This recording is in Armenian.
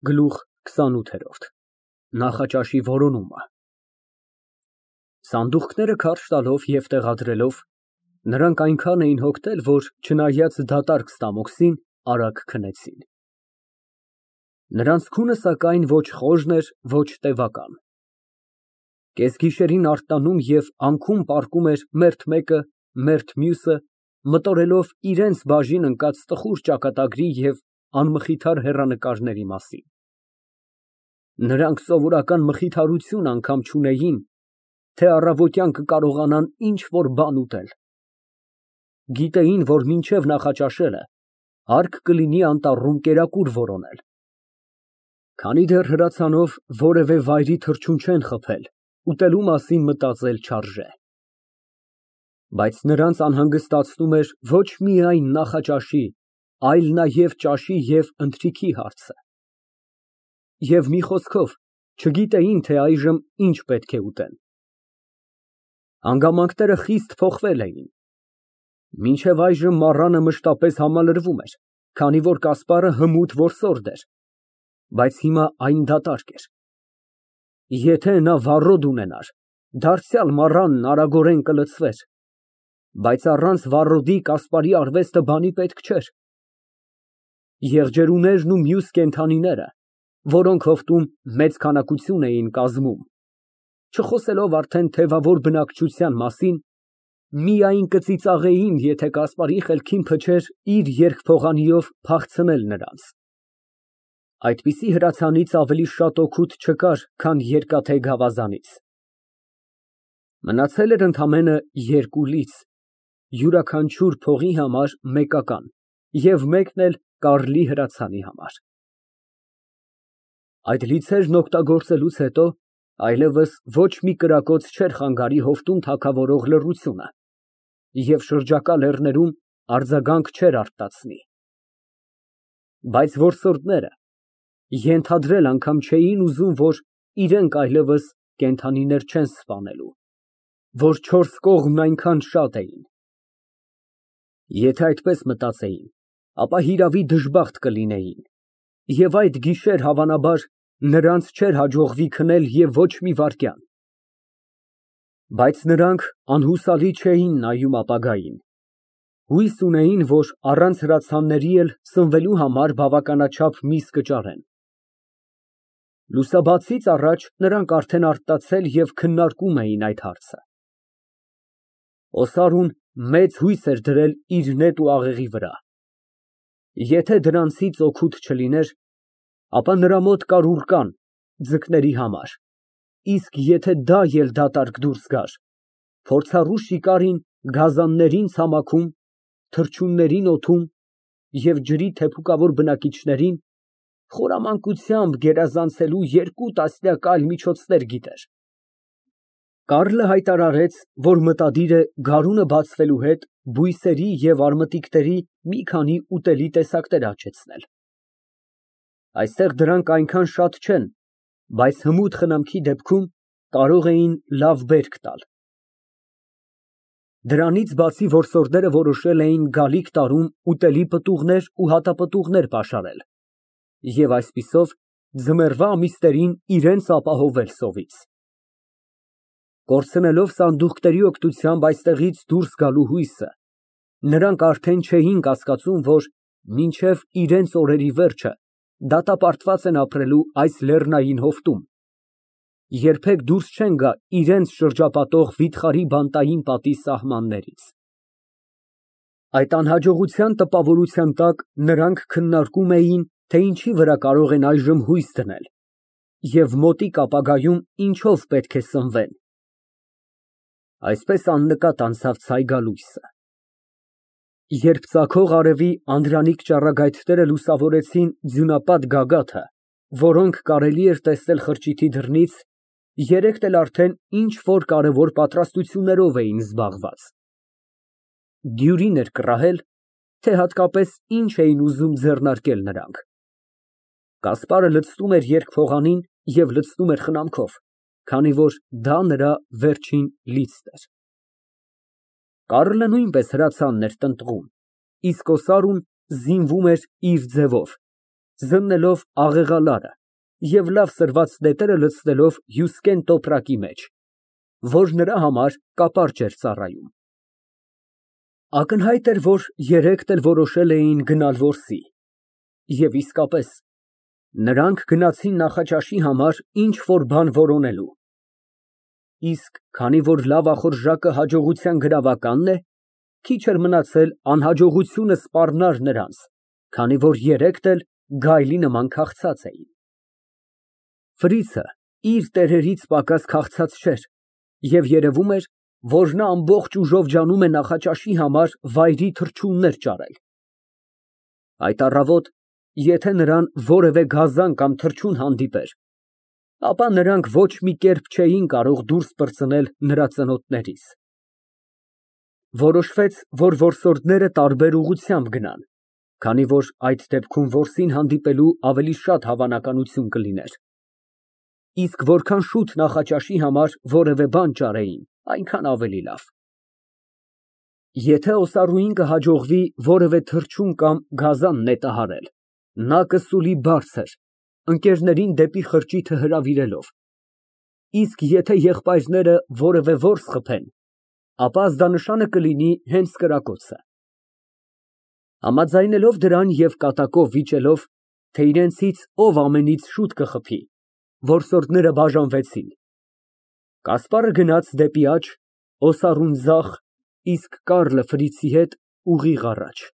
Գլուխ 28 Նախաճաշի որոնումը Սանդուղքները քարշ տալով և տեղադրելով, նրանք այնքան էին հոգնել, որ, չնայած դատարկ ստամոքսին, արագ քնեցին։ Նրանց քունը, սակայն, ոչ խոժն էր, ոչ տևական։ Կեսգիշերին արթնանում և անքուն պառկում էր մերթ մեկը, մերթ մյուսը, մտորելով իրենց բաժին ընկած տխուր ճակատագրի և անմխիթար հեռանկարների մասին։ Նրանք սովորական մխիթարություն անգամ չունեին, թե առավոտյան կկարողանան ինչ֊որ բան ուտել։ Գիտեին, որ մինչև նախաճաշելը հարկ կլինի անտառում կերակուր որոնել։ Քանի դեռ հրացանով որևէ վայրի թռչուն չեն խփել, ուտելու մասին մտածել չարժե։ Բայց նրանց անհանգստացնում էր ոչ միայն նախաճաշի, այլ նաև ճաշի և ընթրիքի հարցը։ Եվ մի խոսքով, չգիտեին, թե այժմ ինչ պետք է ուտեն։ Հանգամանքները խիստ փոխվել էին։ Մինչև այժմ մառանը մշտապես համալրվում էր, քանի որ Կասպարը հմուտ որսորդ էր, բայց հիմա այն դատարկ էր։ Եթե նա վառոդ ունենար, դարձյալ մառանն արագորեն կլցվեր, բայց առանց վառոդի Կասպարի արվեստը բանի պետք չէր։ Եղջերուներն ու մյուս կենդանիները, որոնք հովտում մեծ քանակություն էին կազմում, չխոսելով արդեն թևավոր բնակչության մասին, միայն կծիծաղեին, եթե Կասպարի խելքին փչեր իր երկփողանիով փախցնել նրանց։ Այդպիսի հրացանից ավելի շատ օգուտ չկար, քան երկաթե գավազանից։ Մնացել էր ընդամենը 2 լից, յուրաքանչյուր փողի համար մեկական և մեկն էլ Կարլի հրացանի համար։ Այդ լիցերն օգտագործելուց հետո այլևս ոչ մի կրակոց չէր խանգարի հովտում թագավորող լռությունը և շրջակա լեռներում արձագանք չէր արթնացնի։ Բայց որսորդները ենթադրել անգամ չէին ուզում, որ իրենք այլևս կենդանիներ չեն սպանելու, որ 4 կողմն այնքան շատ էին։ Եթե այդպես մտածեին, ապա հիրավի դժբախտ կլինեին, և այդ գիշեր, հավանաբար, նրանց չէր հաջողվի քնել և ոչ մի վայրկյան։ Բայց նրանք անհուսալի չէին նայում ապագային։ Հույս ունեին, որ առանց հրացանների էլ սնվելու համար բավականաչափ միս կճարեն։ Լուսաբացից առաջ նրանք արդեն արթնացել և քննարկում էին այդ հարցը։ Օսարուն մեծ հույս էր դրել իր նետ ու աղեղի վրա։ Եթե դրանցից օգուտ չլիներ, ապա նրա մոտ կար ուռկան ձկների համար, իսկ եթե դա էլ դատարկ դուրս գար, փորձառու շիկարին գազաններին ցամաքում, թռչուններին օդում և ջրի թեփուկավոր բնակիչներին խորամանկությամբ գերազանցելու 2 տասնյակ այլ միջոցներ գիտեր։ Կարլը հայտարարեց, որ մտադիր է գարունը բացվելու հետ բույսերի և արմատիկների մի քանի ուտելի տեսակներ աճեցնել։ Այստեղ դրանք այնքան շատ չեն, բայց հմուտ խնամքի դեպքում կարող էին լավ բերք տալ։ Դրանից բացի որսորդները որոշել էին գալիք տարում ուտելի պտուղներ ու հատապտուղներ պաշարել և այսպիսով ձմեռվա ամիսներին իրենց ապահովել սովից։ Կորցնելով սանդուղքների օգնությամբ այստեղից դուրս գալու հույսը, նրանք արդեն չէին կասկածում, որ մինչև իրենց օրերի վերջը դատապարտված են ապրելու այս լեռնային հովտում, երբեք դուրս չեն գա իրենց շրջապատող վիթխարի բանտային պատի սահմաններից։ Այդ անհաջողության տպավորության տակ նրանք քննարկում էին, թե ինչի վրա կարող են այժմ հույս դնել և մոտիկ ապագայում ինչով պետք է սնվեն։ Այսպես աննկատ անցավ ցայգալույսը։ Երբ ծագող արևի անդրանիկ ճառագայթները լուսավորեցին ձյունապատ գագաթը, որոնք կարելի էր տեսնել խրճիթի դռնից, երեքն էլ արդեն ինչ֊որ կարևոր պատրաստություններով էին զբաղված։ Դյուրին էր կռահել, թե հատկապես ինչ էին ուզում ձեռնարկել նրանք։ Կասպարը լցնում էր երկփողանին և լցնում էր խնամքով, քանի որ դա նրա վերջին լիցքն էր։ Կարլը նույնպես հրացանն էր տնտղում, իսկ Օսարուն զինվում էր իր ձևով, զննելով աղեղալարը և լավ սրված նետերը լցնելով հյուսկեն տոպրակի մեջ, որ նրա համար կապարճ էր ծառայում։ Ակնհայտ էր, որ երեքն էլ որոշել էին գնալ որսի, և իսկապես, նրանք գնացին նախաճաշի համար ինչ֊որ բան որոնելու, իսկ քանի որ լավ ախորժակը հաջողության գրավականն է, քիչ էր մնացել անհաջողությունը սպառնար նրանց, քանի որ երեքն էլ գայլի նման քաղցած էին։ Ֆրիցը իր տերերից պակաս քաղցած չէր և երևում էր, որ նա ամբողջ ուժով ջանում է նախաճաշի համար վայրի թռչուններ ճարել։ Այդ առավոտ, եթե նրան որևէ գազան կամ թռչուն հանդիպեր, ապա նրանք ոչ մի կերպ չէին կարող դուրս պրծնել նրա ծնոտներից։ Որոշվեց, որ որսորդները տարբեր ուղղությամբ գնան, քանի որ այդ դեպքում որսին հանդիպելու ավելի շատ հավանականություն կլիներ, իսկ որքան շուտ նախաճաշի համար որևէ բան ճարեին, այնքան ավելի լավ։ Եթե օսառուին կհաջողվի որևէ թռչուն կամ գազան նետահարել, նա կսուլի բարձր, ընկերներին դեպի խրճիթը հրավիրելով, իսկ եթե եղբայրները որևէ որս խփեն, ապա ազդանշանը կլինի հենց կրակոցը։ Համաձայնելով դրան և կատակով վիճելով, թե իրենցից ով ամենից շուտ կխփի, որսորդները բաժանվեցին։ Կասպարը գնաց դեպի աջ, օսառուն ձախ, իսկ Կառլը Ֆրիցի հետ ուղիղ առաջ։